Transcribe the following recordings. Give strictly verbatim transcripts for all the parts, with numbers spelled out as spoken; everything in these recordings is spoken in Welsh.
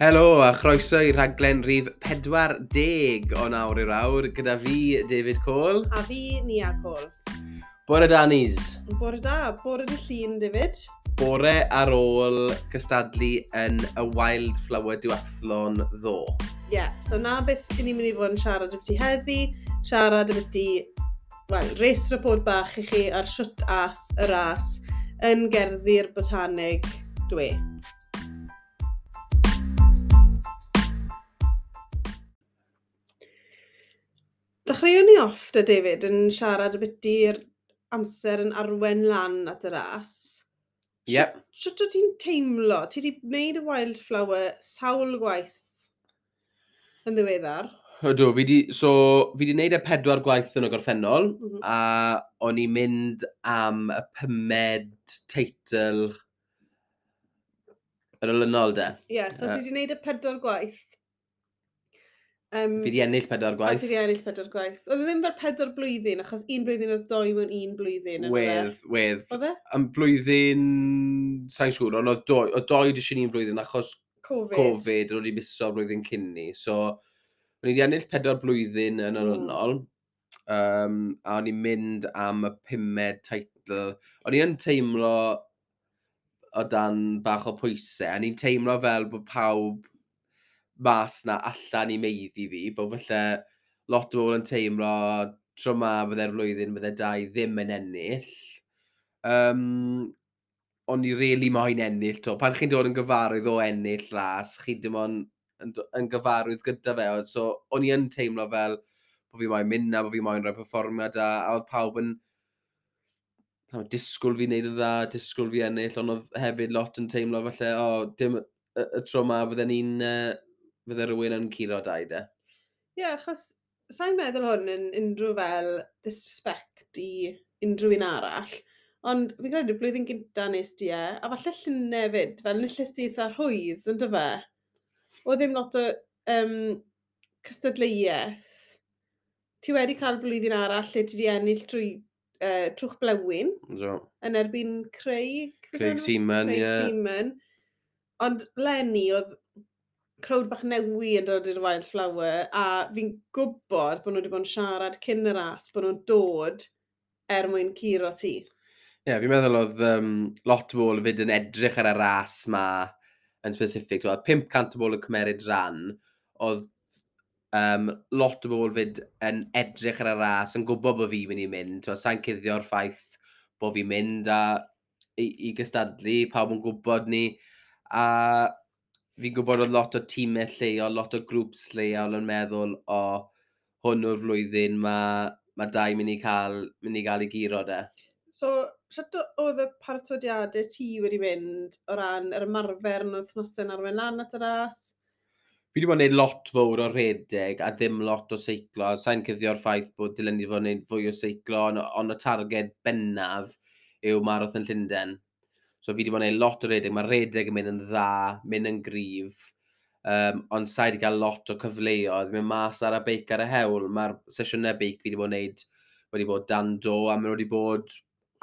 Helo a chroeso i rhaglen rhif pedwar deg o Nawr i'r Awr gyda fi, David Cole. A fi, Nia Cole. Bore da, Nis. Bore da, bore dy llun, David. Bore ar ôl cystadlu yn y Wildflower Duathlon ddo. Ie, yeah, so na beth i ni'n mynd i fod yn siarad ambyti heddi, siarad ambyti, wel, race report bach i chi ar shwt ath y ras yn Gerddi'r Botanig dwe. Dechreuwn ni off da David yn siarad ambyti'r amser yn arwen lan at y ras. Yep. Shwt wyt ti'n teimlo? Ti wedi gwneud y Wildflower sawl gwaith yn ddiweddar? Ydw, fi di, so, fi di wneud y pedwar gwaith yn y gorffennol, mm -hmm. a o'n i'n mynd am y pumed teitl yn olynol de. Ie, yeah, so uh, ti wedi gwneud y pedwar gwaith. Um, fi di ennill pedwar gwaith. A ti di ennill pedwar gwaith. Oedd e ddim fel pedwar blwyddyn, achos un blwyddyn oedd doi mewn un blwyddyn. Wedd, wedd. Oedd e? Am blwyddyn, sa'n siŵr, ond oedd doi, oedd doi jyst un blwyddyn, achos Covid, Covid oedd wedi miso blwyddyn cyn ni. So, o'n i wedi ennill pedwar blwyddyn yn olynol, mm. um, a o'n i'n mynd am y pumed teitl. O'n i yn teimlo o dan bach o pwysau, a o'n i'n teimlo fel bod pawb mas na allan i meiddi fi, bod falle lot o bobl yn teimlo tro ma fydde'r flwyddyn fydde dau ddim yn ennill. Um, o'n i really moyn ennill to. Pan chi'n dod yn gyfarwydd o ennill ras, chi dim ond yn, yn gyfarwydd gyda fe. So o'n i yn teimlo fel bod fi moyn mynd na, bod fi moyn rhoi perfformiad da, a oedd pawb yn no, disgwyl fi wneud yn dda, disgwyl fi ennill, ond oedd hefyd lot yn teimlo falle, o, oh, dim y, y tro ma fydden ni'n uh, fydde rhywun yn curo dau de. Ie, yeah, achos sa'n meddwl hwn yn unrhyw fel disrespect i unrhyw un arall, ond fi'n credu blwyddyn gynta nes di e, a falle llynedd hefyd, fel nillest di eitha rhwydd, yn dyfe? Oedd ddim lot o um, cystadleuaeth. Ti wedi cael blwyddyn arall lle ti wedi ennill trwy uh, trwch blewyn. So. Yn erbyn Craig. Craig Seaman, ie. Craig yeah. Seaman. Ond leni oedd crowd bach newi yn dod i'r Wildflower, a fi'n gwybod bod nhw wedi bod yn siarad cyn y ras, bod nhw'n dod er mwyn curo ti. Ie, yeah, fi'n meddwl oedd um, lot o bobl fyd yn edrych ar y ras ma yn specific. Oedd pump cant o bobl yn cymeryd ran, oedd um, lot o bobl fyd yn edrych ar y ras, yn gwybod bod fi'n mynd i mynd. Sa'n cuddio'r ffaith bod fi'n mynd a, i, i gystadlu, pawb yn gwybod ni. A fi'n gwybod oedd lot o tîmau lleol, lot o grŵps lleol yn meddwl, o, hwn yw'r flwyddyn, mae ma dau mynd i cael, mynd i gael ei guro de. So, sut oedd y paratodiadau ti wedi mynd o ran yr ymarfer yn wythnosau'n arwain lan at y ras? Fi wedi bod yn gwneud lot fawr o redeg a ddim lot o seiclo. Sa'n cuddio'r ffaith bod dylen ni fod yn gwneud fwy o seiclo, ond on y targed bennaf yw Marathon Llundain. So fi wedi bod yn gwneud lot o redeg. Mae redeg yn mynd yn dda, mynd yn gryf, um, ond sa'i wedi cael lot o cyfleoedd. Mynd mas ar y beic ar y hewl. Mae'r sesiynau beic fi wedi bod yn gwneud wedi bod dan do, a maen nhw wedi bod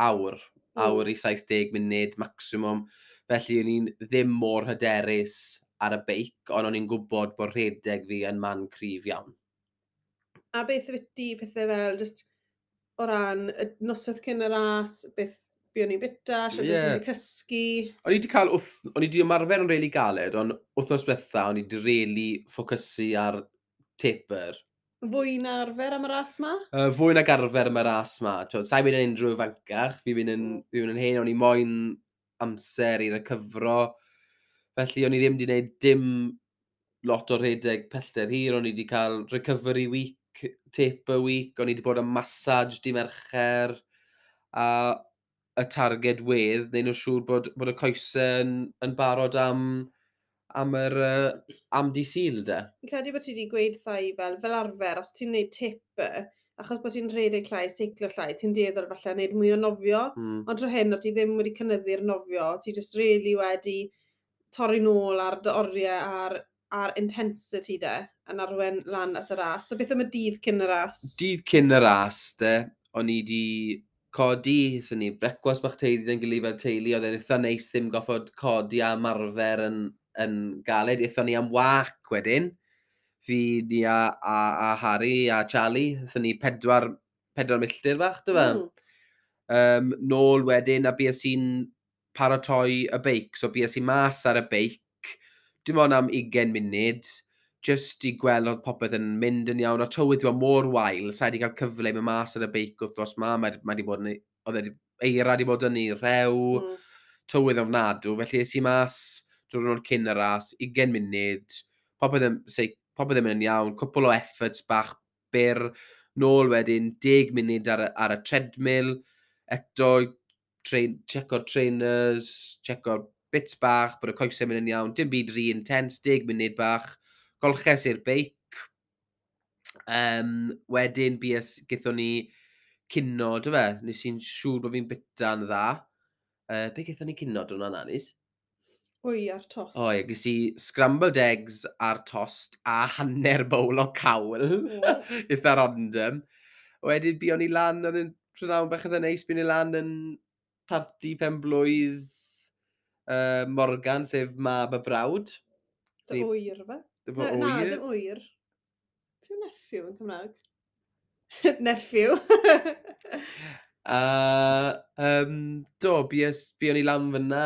awr, awr i saith deg munud maximum. Felly o'n i'n ddim mor hyderus ar y beic, ond o'n i'n gwybod bod rhedeg fi yn man cryf iawn. A beth ydy pethau fel, just o ran y noswaith cyn y ras, beth be o'n i'n bita, sut yeah. O'n i'n cysgu? O'n i wedi cael, o'n i wedi ymarfer yn rili galed, ond wythnos diwetha o'n i wedi rili ffocysu ar taper. Fwy na arfer am y ras ma? Uh, fwy nag arfer am y ras ma. Sa'n mynd yn unrhyw ifancach, fi'n mynd yn, mm. fi mynd yn hen, o'n i moyn amser i recyfro. Felly o'n i ddim wedi gwneud dim lot o rhedeg pellter hir, o'n i wedi cael recovery week, taper week, o'n i wedi bod yn massage di Mercher, a y targed wedd, neu nhw'n siŵr bod, bod y coesau yn, yn barod am, am, yr, uh, am di Sul, de. Fi'n credu bod ti wedi gweud thai fel, fel arfer, os ti'n gwneud taper, achos bod ti'n rhedeg llai, seiclo llai, ti'n dueddol falle wneud mwy o nofio, mm. ond tro hyn, o ti ddim wedi cynyddu'r nofio, ti just really wedi torri nôl ar dy oriau a'r, ar intensity de, yn arwen lan at y ras. So beth am y dydd cyn y ras? Dydd cyn y ras, de, o'n i di codi, aethon ni brecwast bach teulu yn gilydd fel teulu, oedd e'n eitha neis ddim goffod codi a ymarfer yn, yn galed. Aethon ni am wac wedyn. Fi, ni a, a, a Harry a Charlie. Aethon ni pedwar, pedwar milltir bach, do fe? Mm. Um, nôl wedyn, a bues i'n paratoi y beic. So bues i mas ar y beic, dim ond am ugain munud, just i gweld oedd popeth yn mynd yn iawn. O tywydd wedi bod mor wael, sa i wedi cael cyfle i mynd mas ar y beic wythnos ma. Mae, mae wedi bod yn, oedd e 'di- eira wedi bod yn ei rhew, Mm. tywydd ofnadw. Felly es i mas diwrnod cyn y ras, ugain munud, popeth yn, sei, popeth yn mynd yn iawn, cwpl o efforts bach byr, nôl wedyn deg munud ar y, ar y treadmill, eto train, checo'r trainers, checo'r bits bach, bod y coesau mynd yn iawn, dim byd rhy intense, deg munud bach, golches i'r beic. Um, wedyn bues, gaethon ni cinio, do fe? Nes i'n siŵr bod fi'n bita'n dda. Uh, be gaethon ni cinio diwrnod 'na, Nis? Wy ar tost. O ie, ges i scrambled eggs ar tost a hanner bowl o cawl. O. Eitha random. Wedyn buon ni lan, oedd yn prynhawn bach eitha neis, buon ni lan yn parti pen blwydd uh, Morgan, sef mab y brawd. Dy Ni- wyr, fe? Dy Na, na, ŵyr. dim wyr. Ti'n nephew yn Cymraeg? Nephew. A um, do, bues, buon ni lan fyna,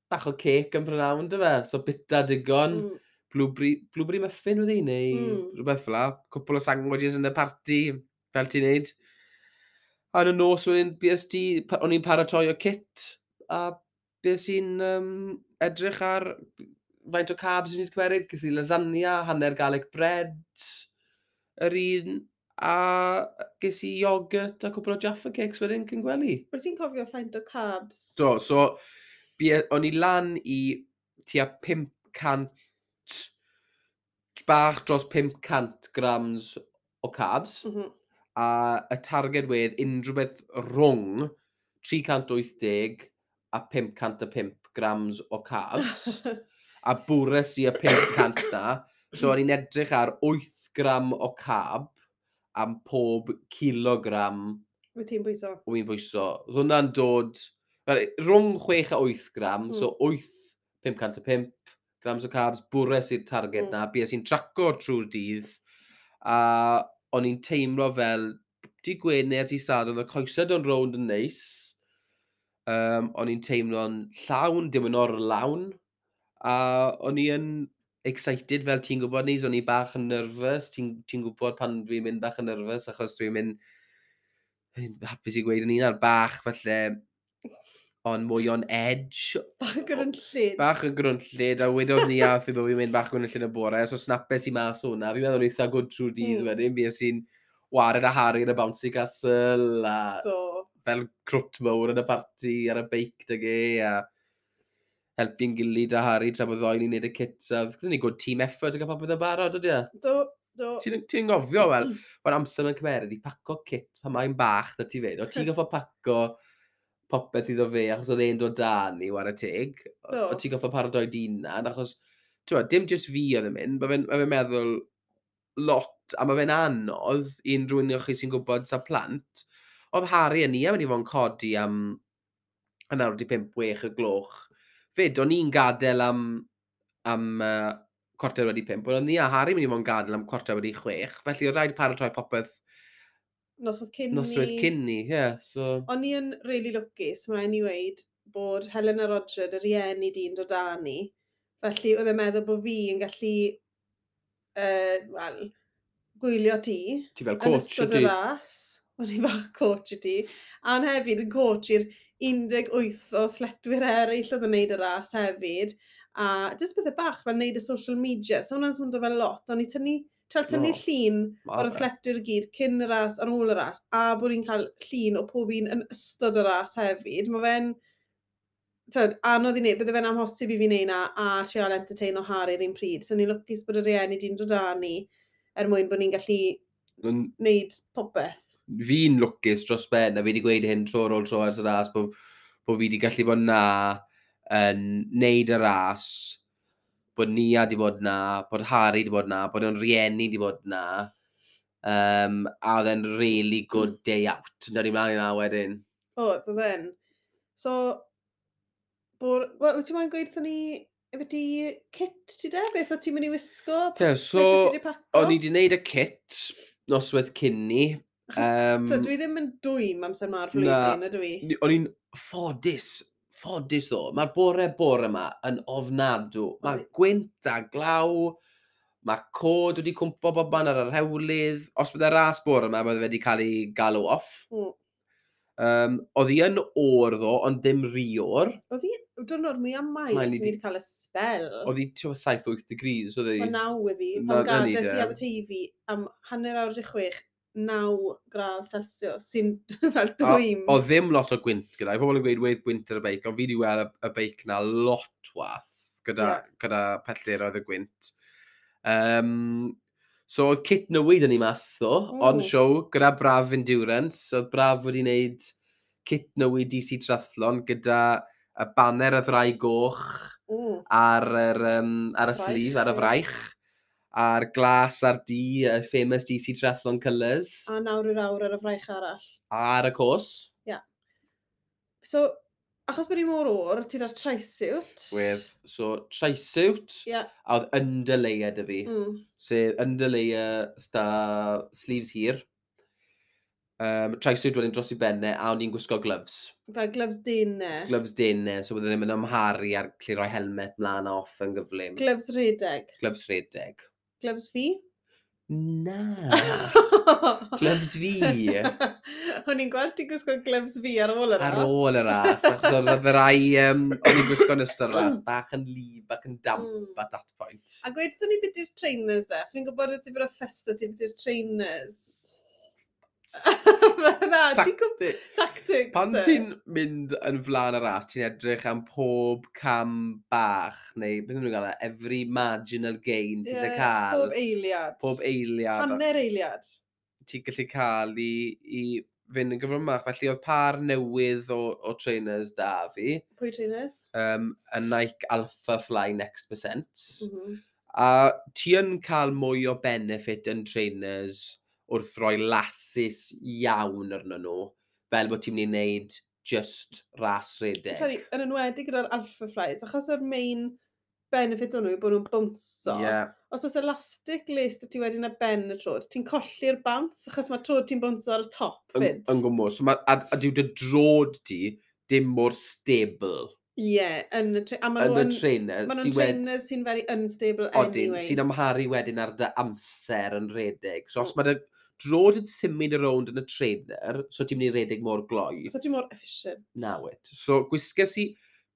bach o cake yn prynhawn, do fe? So bita digon. Mm. Blueberry, blueberry muffin wedi, neu Mm. rhywbeth fel 'na. Cwpl o sandwiches yn y parti, fel ti'n neud. A yn y nos wedyn, bues ti, pa- o'n i'n paratoi o kit, a bues i'n um, edrych ar faint o carbs o'n i'n cymeryd. Ges i lasagna, hanner garlic bread, yr un, a ges i yoghurt a cwpl o Jaffa Cakes wedyn cyn gwely. Wyt ti'n cofio faint o carbs? Do, so bie, o'n i lan i tua pum cant, bach dros pum cant grams o carbs, Mm -hmm. a y targed wedd unrhyw beth rhwng tri chant wyth deg a pum cant a pump grams o carbs, a bwres i y pum cant na, so o'n i'n edrych ar wyth gram o carb am pob kilogram Wyt ti'n bwyso? o fi'n bwyso. Oedd hwnna'n dod wel, rhwng chwech a wyth gram, Mm. so wyth, pum cant a pump grams o carbs, bwres i'r targed Mm. na, bues i'n traco trwy'r dydd, a o'n i'n teimlo fel, di Gwener, di Sadwrn, y coesau dod rownd yn neis, um, o'n i'n teimlo'n llawn, dim yn orlawn, a o'n i yn excited, fel ti'n gwybod ni, so o'n i bach yn nervous, ti'n ti gwybod pan dwi'n mynd bach yn nervous, achos dwi'n mynd, hapus i gweud yn un ar bach, falle, ond mwy on edge. Bach yn grynllyd. Bach yn grwnllyd, a wedodd ni a fi bod fi'n mynd bach yn grwnllyd y bore, so snapes i mas o'na. Fi'n meddwl eitha good trwy'r dydd Mm. wedyn, bues i'n wared a Harry yn y bouncy castle, a Do. fel crwt mawr yn y parti ar y beic 'dag e, a helpu'n gilydd a Harry tra bod ddoi ni'n neud y kits, a gyda ni good team effort a gael popeth yn barod, ydy e? Do, do. Ti'n ti gofio, wel, mae'r amser yn cymeryd i paco kit pan mae'n bach da ti fyd. O ti'n goffo paco popeth iddo fe achos oedd e'n dod da ni, whare teg. Do. O ti'n goffo paratoi d'hunan, achos, ti'n dim just fi oedd yn mynd, mae fe'n ma fe meddwl lot, a mae fe'n anodd i unrhyw un o chi sy'n gwybod sa plant. Oedd Harry a ni am mynd i fod yn codi am hanner wedi pump, wech y gloch. Fyd, o'n i'n gadael am, am uh, cwarter wedi pump, ond o'n ni a Harry mynd i fod yn gadael am cwarter wedi chwech, felly oedd rhaid paratoi popeth Noswaith cyn noswaith ni. cyn ni, ie. Yeah, so, O'n i yn really lwcus, mae'n rhaid ni weud, bod Helen a Roger, dy rieni di'n dod â ni. Felly oedd e'n meddwl bod fi yn gallu, uh, wel, gwylio ti ti fel yn coach, ystod y ydy? ras. O'n i bach coach i ti. A'n hefyd yn coach i'r un deg wyth o athletwyr eraill oedd yn neud y ras hefyd. A jyst bethau bach fel neud y social media. So hwnna'n swndo fel lot. O'n i tynnu, trial tynnu No, llun ma' o'r fe. athletwyr i gyd cyn y ras, ar ôl y ras, a bod ni'n cael llun o pob un yn ystod y ras hefyd. Mae fe'n tyd, anodd i wneud, bydde fe'n amhosib i fi wneud na a trial entertain o Harry yr un pryd. So ni'n lwcus bod y rieni di'n dod â ni er mwyn bod ni'n gallu Yn- wneud popeth. Fi'n lwcus dros ben, a fi wedi gweud hyn tro ar ôl tro ers y ras, bod, bod fi wedi gallu bod na yn neud y ras, bod Nia wedi bod na, bod Harry wedi bod na, bod o'n rieni wedi bod na, um, a oedd e'n really good day out. Nawr i mlaen i na wedyn. O, oedd e'n. So, bod, wel, wyt ti'n moyn gweud wrthon ni Efo kit ti de? Beth o ti'n mynd i wisgo? Ie, so, o'n i wedi gwneud y kit noswaith cyn ni. Um, so, dwi ddim yn dwym amser ma'r flwyddyn, ydw i? O'n i'n ffodus, ffodus ddo. Mae'r bore bore yma yn ofnadw. Mae gwynt a glaw, mae cod wedi cwmpo bob man ar yr hewlydd. Os bydde ras bore yma, bydde wedi cael ei galw off. Mm. Um, oedd hi yn oer ddo, ond dim rhy oer. Oedd hi, diwrnod mwyaf mild ni wedi cael y spel. Oedd hi saith wyth degrees, oedd hi? O naw oedd hi. Pan gades i Aberteifi am hanner awr i chwech, naw gradd Celsius, sy'n fel dwym. Oedd ddim lot o gwynt gyda. Pobl yn gweud wedd gwynt ar y beic, ond fi wedi weld y, y beic na lot wath gyda, yeah. gyda pellteroedd y gwynt. Um, So oedd kit newid yn ei mas ddo, mm. on show, gyda Braf Endurance. Oedd Braf wedi wneud kit newid D C Triathlon gyda y banner y ddraig goch mm. ar, yr, um, ar y sleeve, ar y fraich, a'r glas a'r du, y famous D C Triathlon colours. A nawr i'r awr ar y fraich arall. A ar y cos. Ia. Yeah. So, achos bod hi mor oer, ti da'r trisuit. Wedd, so trisuit, yeah. A oedd underlayer dy fi. Mm. Sef underlayer sta sleeves hir. Um, trisuit wedyn dros i benne, a o'n i'n gwisgo gloves. Fel gloves dene. Gloves dene, so bydden ni'n mynd amharu ar gallu rhoi helmet mlaen a off yn gyflym. Gloves redeg. Gloves redeg. Gloves fi? Na. Gloves fi. O'n i'n gweld ti'n gwisgo gloves fi ar ôl y ras. Ar ôl y ras, achos oedd y rai, um, o'n i'n gwisgo yn ystod y ras, bach yn lib, bach yn damp mm. at that point. A gweud ni beth yw'r trainers de, fi'n gwybod ti bod o ffesta ti beth yw'r trainers. Na, ti'n gwybod tactics. Pan ti'n mynd yn flaen y ras, ti'n edrych am pob cam bach, neu beth nhw'n gael, every marginal gain ti'n yeah, cael. Pob eiliad. Pob eiliad. Hanner eiliad. Ti'n gallu cael i, i fynd yn gyflymach. Felly oedd par newydd o, o trainers da fi. Pwy trainers? Um, y Nike Alpha Fly Next Percent. Mm -hmm. A ti yn cael mwy o benefit yn trainers wrth roi lasus iawn arno nhw, fel bod ti'n mynd i wneud just ras redeg. Credu, yn enwedig gyda'r Alpha Flies, achos yr main benefit o'n nhw yw bod nhw'n bounso. Yeah. Os oes elastic lace ti wedyn ar ben y trod, ti'n colli'r bounce, achos mae trod ti'n bounso ar y top fyd. Yn gwmws. So ma, a, a dyw dy drod ti dim mor stable. Ie, yeah, yn y, tra a yn y trainer. Ma nhw'n trainers sy'n very unstable odyn, anyway. Sy'n amharu wedyn ar dy amser yn redeg. So os mae dy drod yn symud y rownd yn y trainer, so ti'n mynd i redeg mor gloi. So ti'n mor efficient. Na wyt. So gwisges i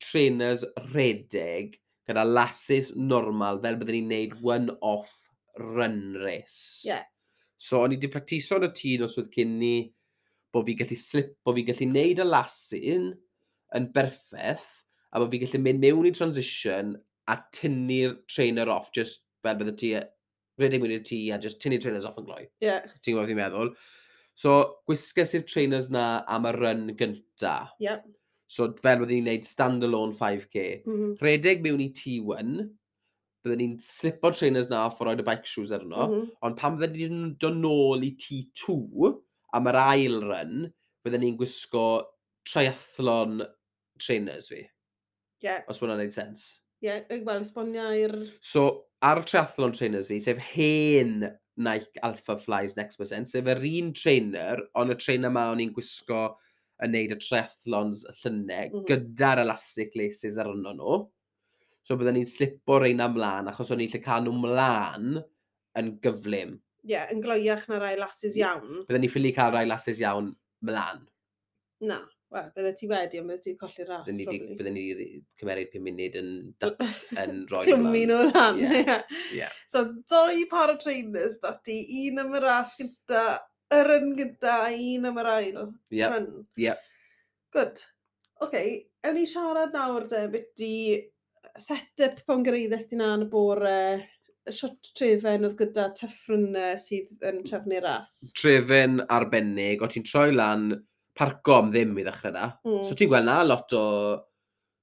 trainers redeg gyda lasus normal fel byddwn ni'n neud one-off run race. Yeah. So o'n i wedi practiso yn y tŷ noswaith cyn ni bod fi gallu slip, bod fi gallu neud y lasyn yn berffaith, a bod fi gallu mynd mewn i transition a tynnu'r trainer off, just fel bydde ti, redeg mewn i'r tŷ a just tynnu'r trainers off yn gloi. Yeah. Ti'n gwybod beth fi'n meddwl? So, gwisges i'r trainers na am y run gynta. Yeah. So, fel byddwn ni'n gwneud standalone five K. Mm -hmm. Rhedeg mewn i T one, byddwn ni'n slipo'r trainers na off a roed y bike shoes arno, mm -hmm. ond pan byddwn ni'n dod nôl i T two am yr ail run, byddwn ni'n gwisgo triathlon trainers fi. Yeah. Os hwnna'n gwneud sens. Ie, yeah, wel, esbonio i'r... So, ar y triathlon trainers fi, sef hen Nike Alpha Flies Next Percent, sef yr un trainer, ond y trainer ma o'n i'n gwisgo yn neud y triathlons y llynedd, mm -hmm. gyda'r elastic laces arno nhw. So byddwn ni'n slipo reina mlaen, achos o'n i'n lle cael nhw mlaen yn gyflym. Ie, yeah, yn gloiach na rai lasus iawn. Byddwn ni'n ffili cael rai lasus iawn mlaen. Na, wel, bydde ti wedi, ond bydde ti'n colli'r ras, probably. Bydden ni wedi cymeryd pum munud yn, yn rhoi Clymu nhw lan, ie. Yeah. Yeah. So, doi par o trainers dati, un am y ras gynta, y run gynta, a un am yr ail yep. run. Yep. Good. Oce, okay, ewn ni siarad nawr de, byti set-up pan gyrhaeddes ti na yn y bore, shwt Trefen oedd gyda Tuff Runner sydd yn trefnu'r ras. Trefen arbennig, o ti'n troi lan parco am ddim i ddechrau na. Mm. So ti'n gweld na lot o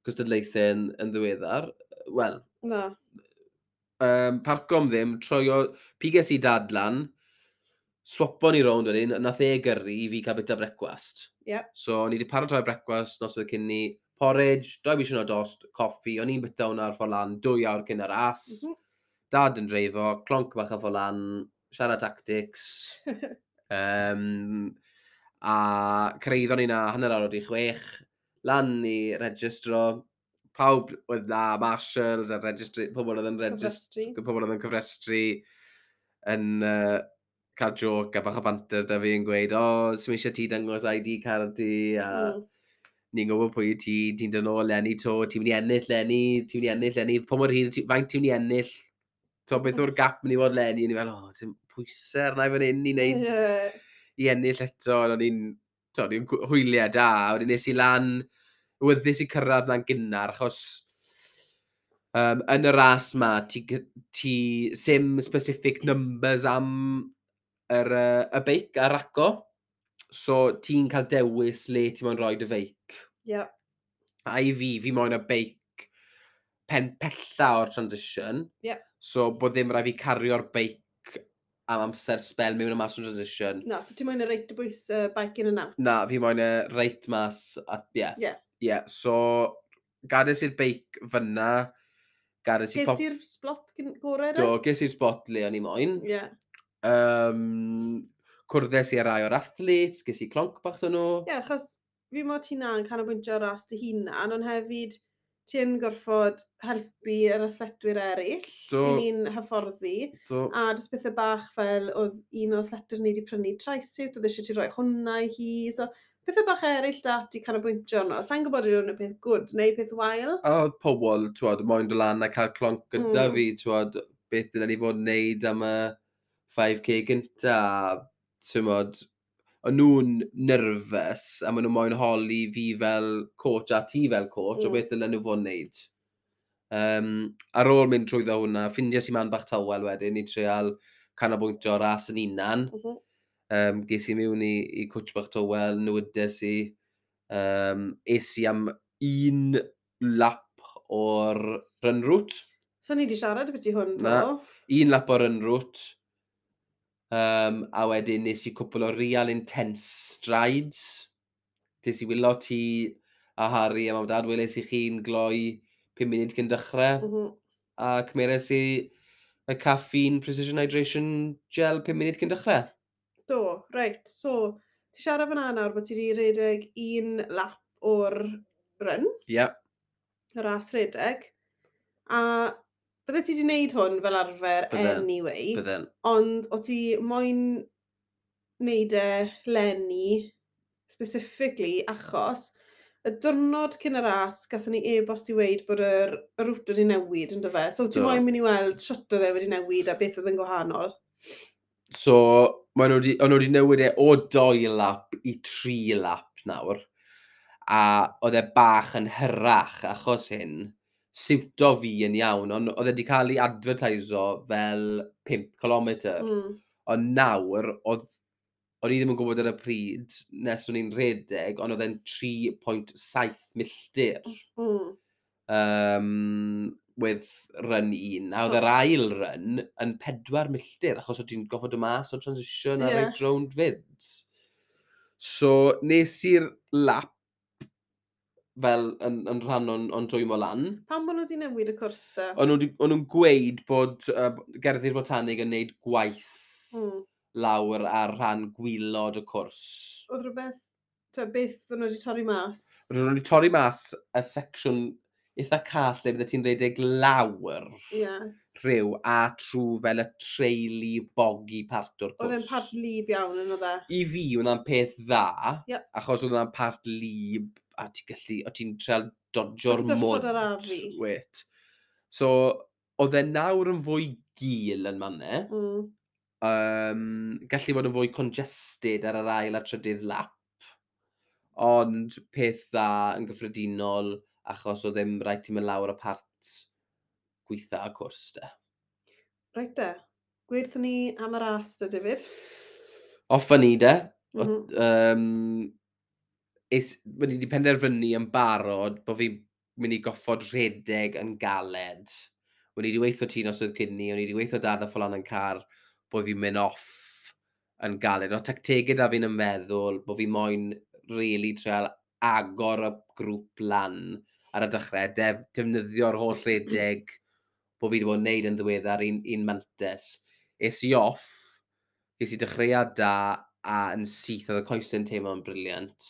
gystadlaethau yn, yn ddiweddar. Wel, Na. um, parco am ddim, troi o, piges i dad lan, swapo ni rownd wedyn, nath e gyrru i fi cael bita brecwast. Ie. Ie. So, o'n i wedi paratoi brecwast noswaith cyn ni, porridge, doi bishyn o dost, coffi, o'n i'n byta hwnna ar ffordd lan, dwy awr cyn y ras. Mm -hmm. Dad yn dreifo, clonc bach ar ffordd lan, siarad tactics. um, a cyrhaeddon ni na hanner awr wedi chwech, lan i registro, pawb oedd na, marshals a registry, pobl oedd yn registro, Cyfrestru. Pobl oedd yn cyfrestru yn uh, cael joke a bach o banter da fi yn gweud, "O, oh, sy'n eisiau ti dangos I D card ti," a Mm. "Ni'n gwybod pwy wyt ti, ti'n dod nôl leni to, ti'n mynd i ennill leni, ti'n mynd i ennill leni, pa mor hir, ti, faint ti'n mynd i ennill, to, beth yw'r gap mynd i fod leni?" O'n i fel, "O, ti'n pwysau arna i fan hyn i wneud, Ie. i ennill eto," ond o'n i'n, to, o'n i'n gw- hwyliau da, a wedyn nes i lan, wyddys i cyrraedd na'n gynnar, achos um, yn y ras ma, ti, gy- ti sim specific numbers am yr, uh, y beic a raco, so ti'n cael dewis le ti'n moyn rhoi dy feic. Ie. A i fi, fi moyn y beic pen pella o'r transition. Ie. So bod ddim rhaid fi cario'r beic am amser spel mewn a mas o'r transition. Na, so ti'n moyn y reit o bwys uh, bike in and out? Na, fi moyn y reit mas. A, ie. Ie. Ie, so gades i'r beic fyna. Gades i Ges pop. ti'r spot gyn- gorau de? Do, ges i'r spot le o'n i moyn. Ie. Um, cwrddes i ar rai o'r athletes, ges i clonc bach dyn nhw. Ie, achos fi mo ti na'n canolbwyntio ar ras dy hunan, ond hefyd ti yn gorfod helpu yr athletwyr eraill. Do. I ni'n hyfforddi. Do, A jyst pethau bach fel oedd un o'r athletwyr ni wedi prynu trisuit, oedd eisiau ti roi hwnna i hi. So, pethau bach eraill da ti canolbwyntio arno. Sa'n gwybod yw hwn y peth good neu peth wael. A oedd pobl, twod, moyn dod lan a cael clonc gyda Mm. fi, twod, beth dylen ni fod yn neud am y five K gynta, ti'n o'n nhw'n nervous a maen nhw moyn holi fi fel coach a ti fel coach mm. o Mm. beth dylen nhw fod yn neud. Um, ar ôl mynd trwyddo hwnna, ffindies i man bach tawel wedyn i treial canolbwyntio ras yn unan. Mm -hmm. Um, ges i mewn i, i cwtch bach tawel, nwydes i. Um, es i am un lap o'r run route. So ni wedi siarad beth i hwn, Na. do? Un lap o'r run route. Um, a wedyn nes i cwpl o real intense strides. Des i wylo ti a Harry a mam dad, weles i chi'n gloi pum munud cyn dechrau. Mm -hmm. A cymeres i y caffeine precision hydration gel pum munud cyn dechrau. Do, reit. So, ti siarad fyna nawr bod ti wedi redeg un lap o'r run, Ie. Yeah. y ras redeg. A bydde ti wedi gwneud hwn fel arfer Bydden, anyway, Bydden. ond o ti moyn wneud e leni specifically achos y diwrnod cyn y ras, gathon ni e-bost i weud bod yr, y route wedi newid, yn fe? So ti Do. moyn mynd i weld shwt oedd e wedi newid a beth oedd yn gwahanol. So, maen nhw wedi, o'n nhw wedi newid e o doi lap i tri lap nawr. A oedd e bach yn hyrach achos hyn, siwto fi yn iawn, ond oedd e wedi cael ei advertiso fel pum cilometr. Mm. Ond nawr, oedd, o'n i ddim yn gwybod ar y pryd nes o'n i'n rhedeg, ond oedd e'n tri pwynt saith milltir. Mm. Um, with run un. A oedd So- yr ail run yn pedwar milltir, achos oedd ti'n goffod dod mas o transition a Ie. reit rownd fyd. So, nes i'r lap fel yn, yn rhan o'n, o'n dwymo lan. Pam bod nhw wedi newid y cwrs da? O'n nhw 'di- o'n nhw'n gweud bod uh, Gerddi'r Botanig yn neud gwaith Mm. lawr ar rhan gwylod y cwrs. Oedd rhywbeth, ta, beth o'n nhw wedi torri mas? Roedd nhw wedi torri mas y section eitha cas lle bydde ti'n rhedeg lawr Ie. Yeah. rhyw a trwy fel y traily boggy part o'r cwrs. Oedd e'n part lib iawn yn oedd e? I fi, hwnna'n peth dda, Ie. achos oedd hwnna'n part lib, a ti'n gallu, o ti'n treial dodjo'r O' ti'n gorfod mwd. arafu. Wait. So, oedd e nawr yn fwy gul yn mannau. Mm. Um, gallu bod yn fwy congested ar yr ail a trydydd lap. Ond peth dda yn gyffredinol, achos oedd ddim rhaid ti'n mynd lawr y part gweitha y cwrs de. Reit de. Gweud ni am y ras de, David. Off â ni de. Mm -hmm. Um, es, wedi wedi penderfynu yn barod bod fi'n mynd i goffod rhedeg yn galed. O'n i wedi weithio ti noswaith cyn ni, o'n i wedi weithio dad a ffolan yn car bod fi'n mynd off yn galed. O tactegau da fi'n meddwl bod fi moyn really trial agor y grŵp lan ar y dechrau, def, defnyddio'r holl redeg bod fi wedi bod yn neud yn ddiweddar un, un mantes. Es i off, ges i dechreuad da a yn syth, oedd y coesau'n teimlo'n brilliant.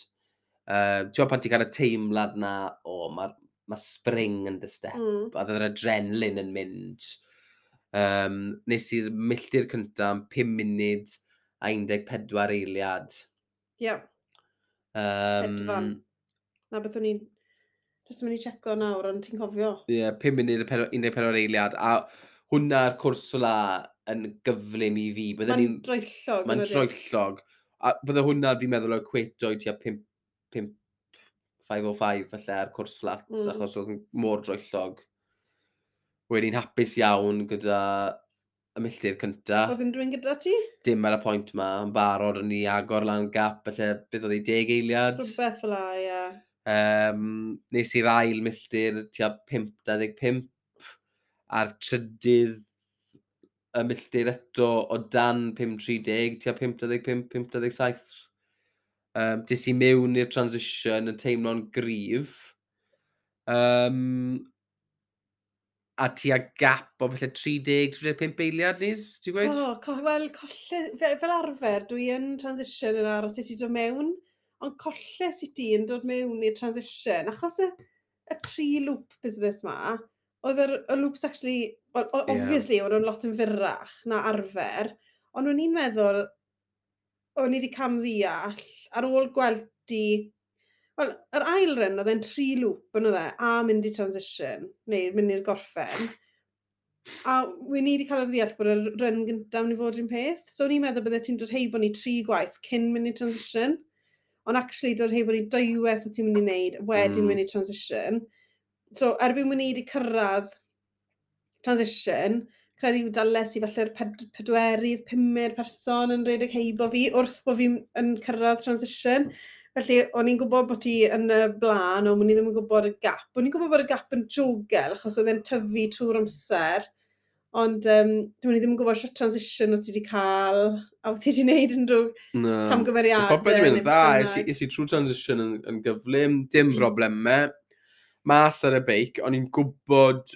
Uh, ti'n gwybod pan ti'n cael y teimlad na, o, oh, mae ma spring yn dy step, mm. a oedd yr adrenalin yn mynd. Um, nes i'r milltir cyntaf am pum munud a un deg pedwar eiliad. Ie. Yeah. Um, Hedfan. Na beth o'n i'n jyst yn mynd i checo nawr, ond ti'n cofio? Ie, yeah, pum munud a un deg pedwar eiliad. A hwnna'r cwrs fel yn gyflym i fi. Mae'n droellog. Mae'n droellog. A bydde hwnna, fi'n meddwl, o equato i tua pump, pump, pump oh five falle ar cwrs fflat, mm. achos oedd mor droellog. Wedi'n hapus iawn gyda y milltir cynta. Oedd unrhyw un gyda ti? Dim ar y pwynt ma, yn barod o'n i agor lan gap, felly beth oedd ei deg eiliad? Rhywbeth fel la, ie. Um, nes i'r ail milltir tua pump dau ddeg pump a'r trydydd y milltir eto o dan pump tri deg, tua pump dau ddeg pump, pump dau ddeg saith. Um, des i mewn i'r transition yn teimlo'n gryf. Um, a tua gap o falle tri deg, tri deg pump eiliad, Nis, ti'n gweud? O, co, wel, colle, fel, fel arfer, dwi yn transition yn aros i ti dod mewn, ond colles i ti yn dod mewn i'r transition, achos y, y tri loop business ma, oedd yr, y loops actually, well, obviously, yeah. Oedd nhw'n lot yn fyrrach na arfer, ond o'n i'n meddwl, o'n i wedi cam ddeall, ar ôl gweld ti. Wel, yr ail run, oedd e'n tri loop yn oedd e, a mynd i transition, neu mynd i'r gorffen. A we ni wedi cael ar ddeall bod y run gyntaf yn i fod un peth. So o'n i'n meddwl bydde ti'n dod heibo ni tri gwaith cyn mynd i transition. Ond actually dod heibo ni dwywaith o ti'n mynd i wneud wedyn mm. mynd i transition. So erbyn mynd ni wedi cyrraedd transition, credu dales i falle'r ped pedwerydd, pumed person yn rhedeg heibo fi wrth bod fi'n yn cyrraedd transition. Felly, o'n i'n gwybod bod ti yn y blaen, ond o'n i ddim yn gwybod y gap. O'n i'n gwybod bod y gap yn jogel, achos oedd e'n tyfu trwy'r amser. Ond um, dwi'n i ddim yn gwybod sut transition o ti wedi cael, a o ti wedi gwneud yn drwy no. camgymeriadau. Popeth wedi mynd dda, es i, es i trwy transition yn, yn gyflym, dim broblemau. Mas ar y beic, o'n i'n gwybod,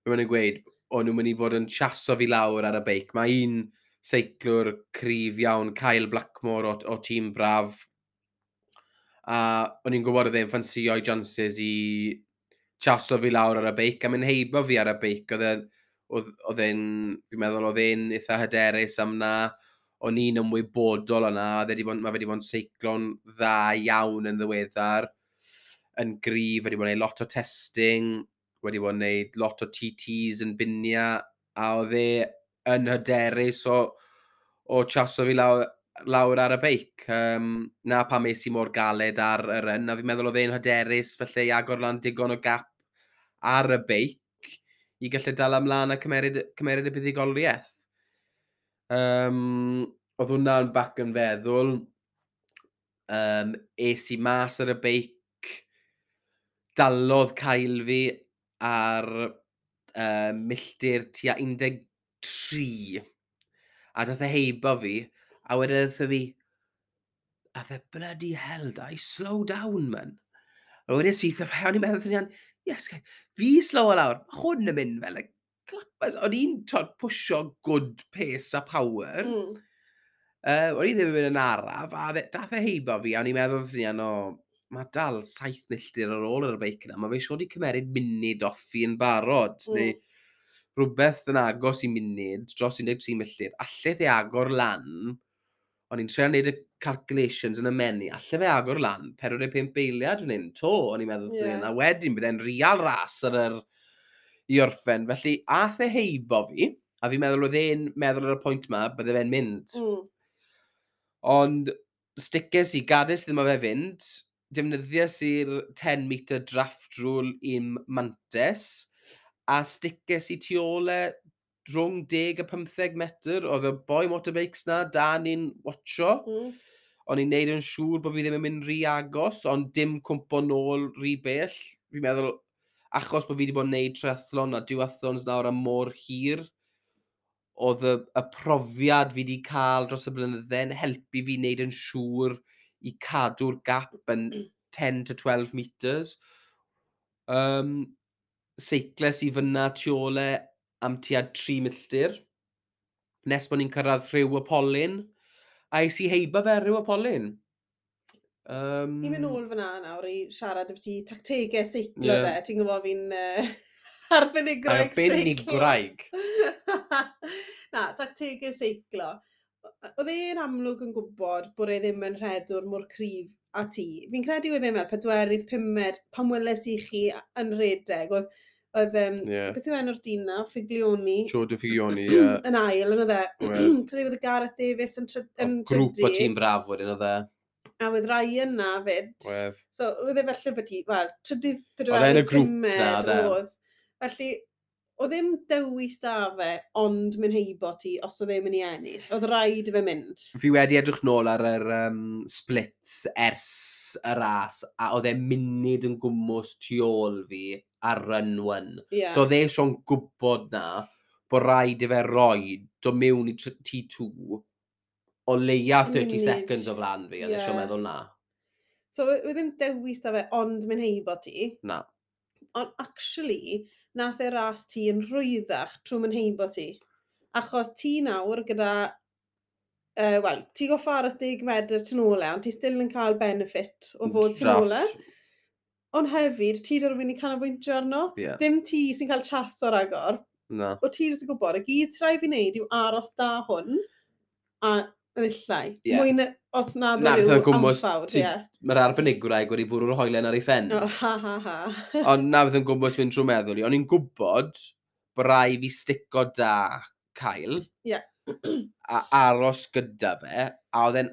be maen nhw'n gweud, o'n nhw'n mynd i fod yn chaso fi lawr ar y beic. Mae un seiclwr cryf iawn, Kyle Blackmore o, o tîm Braf, a o'n i'n gwybod oedd e'n ffansïo'i chances i chaso fi lawr ar y beic a mynd heibo fi ar y beic. Oedd e, oedd, oedd e'n, fi'n meddwl oedd e'n eitha hyderus am na, o'n i'n ymwybodol o'na, oedd e 'di bod, mae fe wedi bod yn seiclo'n dda iawn yn ddiweddar, yn gryf, wedi bod yn gwneud lot o testing, wedi bod yn gwneud lot o T Ts yn Bynea, a oedd e yn hyderus o, o chaso fi lawr, lawr ar y beic. Um, na pam es i mor galed ar y run, a fi'n meddwl oedd e'n hyderus felly i agor lan digon o gap ar y beic i gallu dal ymlaen a cymeryd, cymeryd y buddugoliaeth. Um, oedd hwnna'n back yn feddwl. Um, es i mas ar y beic, dalodd Kyle fi ar uh, milltir tua un deg tri. A dath e heibo fi, a wedyn wrtho fi, a fe, "Bloody hell, Dai, slow down, man." A wedyn syth, o'n i'n meddwl, yes, fi slow lawr, mae hwn yn mynd fel, like, clappers. O'n i'n pwysio good pace a power. Mm. Uh, o'n i ddim yn mynd yn araf, a dath e heibo fi, a o'n i'n meddwl fy o, mae dal saith milltir ar ôl ar y beic yna. Mae fe siŵr wedi cymeryd munud off fi yn barod, mm. neu rhywbeth yn agos i munud, dros un deg tri milltir. Alleth e agor lan, o'n i'n trio wneud y calculations yn y menu, alle fe agor lan, pedwar deg pump eiliad fan hyn, to, o'n i'n meddwl, yeah. A wedyn bydd e'n real ras ar yr i orffen. Felly, ath e heibo fi, a fi'n meddwl oedd e'n meddwl ar y pwynt ma, bydde fe'n mynd. Mm. Ond stices i, gades ddim o fe fynd, defnyddiais i'r ten metre draft rule i'm mantes, a stices i tu ôl e rhwng deg a pymtheg metr, oedd y boi motorbikes na, da ni'n watcho. Mm. O'n i'n neud yn siŵr bod fi ddim yn mynd rhy agos, ond dim cwmpo nôl rhy bell. Fi'n meddwl, achos bod fi wedi bod yn neud triathlon a duathlons nawr am mor hir, oedd y, y profiad fi wedi cael dros y blynydde yn helpu fi wneud yn siŵr i cadw'r gap yn ten to twelve meters. Um, seicles i fyna tu ôl e am tua tri milltir, nes bod ni'n cyrraedd Rhiw y Polyn, a es i heibo fe Rhiw y Polyn. Um, I mynd nôl fyna nawr i siarad efo ti tactegau seiclo Ie. yeah. De. Ti'n gwybod fi'n uh, arbenigwraig seiclo. Arbenigwraig. Na, tactegau seiclo. Oedd e'n amlwg yn gwybod bod e ddim yn rhedwr mor cryf a ti. Fi'n credu oedd e fel pedwerydd, pumed, pan weles i chi yn rhedeg. Oedd, oedd um, Ie. beth yw enw'r dyn na? Figlioni. Joe Figlioni, ie. Yn ail, yn oedd e. Oedd. Credu oedd Gareth Davies yn, try yn Grŵp o trydydd. tîm braf wedyn oedd e. A oedd Ryan na fyd. Oedd. So, oedd e felly bod ti, wel, trydydd, Oedd e yn y pedwerydd, grŵp na, pumed oedd e. oedd. Felly, oedd ddim dewis da fe, ond mynd heibo ti os oedd e'n mynd i ennill. Oedd rhaid i fe mynd. Fi wedi edrych nôl ar yr um, splits ers y ras, a oedd e munud yn gwmws tu ôl fi ar run one. Yeah. So oedd e eisiau'n gwybod na bod rhaid i fe roi do mewn i tr- T two o leia thirty Munud. seconds o flaen fi. Oedd e eisiau Ie. meddwl na. So, oedd ddim dewis da fe, ond mynd heibo ti. Na. Ond actually, nath e ras ti yn rhwyddach trwy mynd heibo ti. Achos ti nawr gyda, uh, wel, ti goffa aros deg medr tu nôl e, ond ti still yn cael benefit o fod tu nôl e. Draft. Ond hefyd, ti 'da rhywun i canolbwyntio arno. Ie. Dim ti sy'n cael chaso ragor. Na. O ti jyst yn gwybod, y gyd sy'n rhaid fi wneud yw aros da hwn a yn illai. Ie. Mwy na, os na Na, bod beth rhyw yn gwmws, anffawd, ti- ie. Mae'r arbenigwraig wedi bwrw'r hoelen ar ei phen. O, ha, ha, ha. Ond na beth yn gwmws mynd trwy meddwl i. O'n i'n gwybod bod rai fi stico da Kyle. Ie. A aros gyda fe. A oedd e'n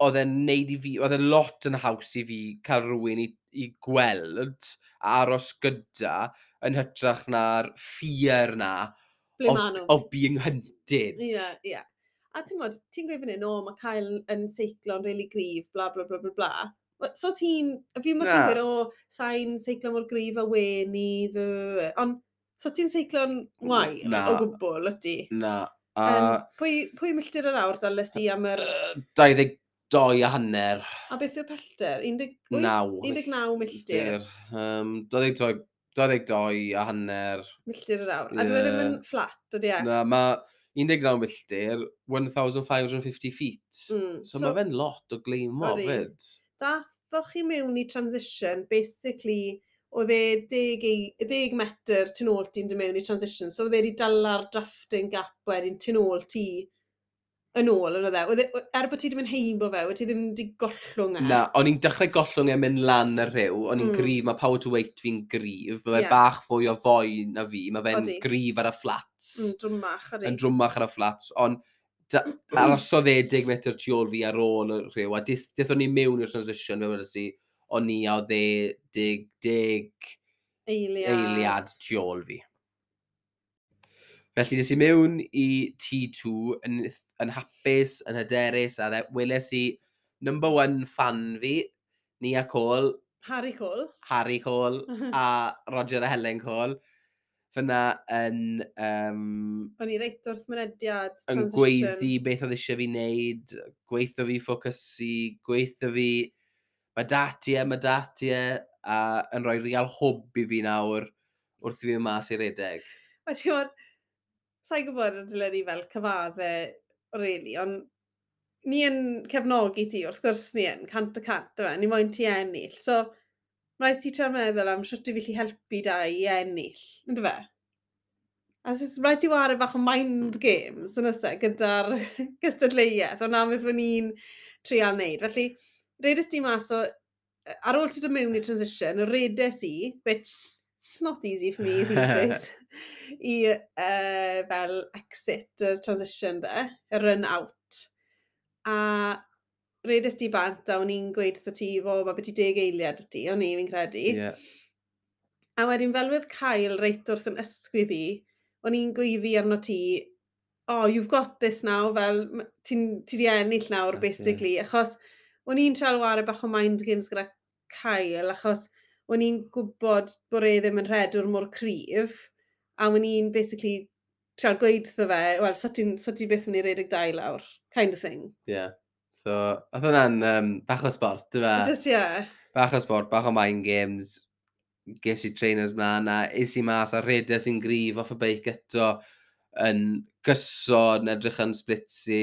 oedd e'n neud i fi, oedd e'n lot yn haws i fi cael rhywun i, i gweld a aros gyda yn hytrach na'r fear na Ble of, ma nhw? of being hunted. Ie, ie. A ti'n modd, ti'n gweud fan hyn, o, mae Kyle yn seiclo'n really gryf, bla, bla, bla, bla, bla. Wel, so ti'n, fi mo ti'n Na. gweud, o, sa'n seiclo mor gryf a weni, ond so ti'n seiclo'n wael Na. o gwbl, ydy? Na. A Um, pwy, pwy milltir yr awr dales di am yr... yy, dau ddeg dau a hanner. A beth yw'r pellter? un deg wyth? Naw. un deg naw milltir. Um, dau ddeg dau, dau ddeg dau a hanner. Milltir yr awr. A dwi e ddim yn Ie. fflat, ydy e? Na, mae un deg naw milltir, one thousand five hundred fifty feet. Mm. So, so mae fe'n lot o gleimo Odi. fyd. Dathoch chi mewn i transition, basically, oedd e deg, ei- deg metr tu nôl ti'n dod mewn i transition, so oedd e wedi dala'r drafting gap wedyn tu nôl ti yn ôl, yn oedd e? Oedd e? Er bod ti wedi mynd heibo fe, oedd ti ddim wedi gollwng e? Na, o'n i'n dechrau gollwng e mynd lan y rhyw, o'n i'n Mm. gryf, mae power to weight fi'n gryf, mae fe Ie. bach fwy o foi na fi, mae fe'n Odi. gryf ar y flats, Mm, drwmach, ydi. yn drwmach ar y flats, ond da- arosodd e deg metr tu ôl fi ar ôl y rhyw, a dis- dethon ni mewn i'r transition, fe wedes i, o'n i a oedd e deg, deg Eiliad. eiliad tu ôl fi. Felly des i mewn i T two yn, yn hapus, yn hyderus, a dde, weles i number one fan fi, Nia Cole, Harry Cole. Harry Cole a Roger a Helen Cole. Fyna yn, um, O'n i reit wrth mynediad yn transition. gweiddi beth oedd eisiau fi wneud, gweithio fi ffocysu, gweithio fi, mae dati e, mae dati e, a yn rhoi real hwb i fi nawr wrth i fi mynd mas i redeg. Mae ti'n gwybod, sa'n gwybod y dylen ni fel cyfadde, really, ond ni yn cefnogi ti, wrth gwrs ni yn, cant y cant, yw e, ni moyn ti ennill. So, mae rhaid ti trio meddwl am sut i fi gallu helpu da i ennill, ynddo fe? A s- rhaid ti ware bach o mind games, yn oes e, gyda'r gystadleuaeth, ond na beth fy ni'n trial wneud. Felly, redes ti mas o, ar ôl ti dod mewn i transition, redes i, which it's not easy for me these days, i uh, fel exit y transition de, y run out. A redes ti bant a o'n i'n gweud wrtho ti, fo, mae beth i deg eiliad y ti, o'n i fi'n credu. Yeah. A wedyn fel wedd Kyle reit wrth yn ysgwydd i, o'n i'n gweiddi arno ti, "Oh, you've got this now," fel m- ti'n ti di ennill nawr, That's it. basically. Achos o'n i'n trial ware bach o mind games gyda Kyle, achos o'n i'n gwybod bod e ddim yn rhedwr mor cryf, a o'n i'n basically trial gweud wrtho fe, wel, so ti'n so ti byth mynd i redeg dau lawr, kind of thing. Yeah. So, oedd hwnna'n um, bach o sport, dy fe? Just, yeah. Bach o sport, bach o mind games. Ges i trainers mlaen a es i mas a redes i'n gryf off y beic eto yn gyson, edrych yn splitsi.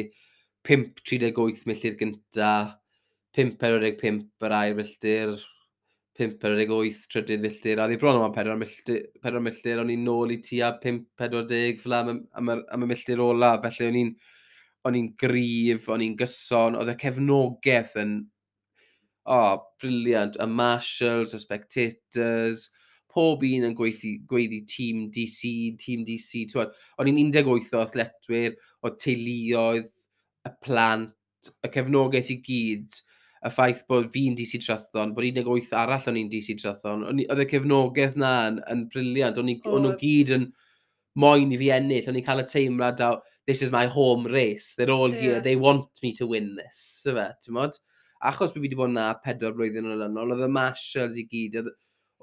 pump tri deg wyth milltir gynta, pump pedwar pump yr ail milltir, pump pedwar wyth trydydd milltir, a oedd hi bron am pedwar milltir, pedwar milltir, o'n i'n nôl i tua pump pedwar deg fel am, am, am, am y milltir ola, felly o'n i'n o'n i'n gryf, o'n i'n gyson, oedd y cefnogaeth yn, oh, brilliant, y marshals, y spectators, pob un yn gweithio, gweiddi tîm D C, tîm D C, t'wod, o'n i'n un deg wyth o athletwyr, o teuluoedd, y plant, y cefnogaeth i gyd, y ffaith bod fi'n D C Triathlon, bod un deg wyth arall o'n i'n D C Triathlon, o'n i- oedd y cefnogaeth na yn, yn brilliant, o'n i- o'n nhw Oedd. gyd yn moyn i fi ennill, o'n i'n cael y teimlad o, "This is my home race, they're all here, Ie. they want me to win this," ife, ti'n mod? Achos bod fi wedi bod na pedwar blwyddyn yn olynol, oedd y marshals i gyd, oedd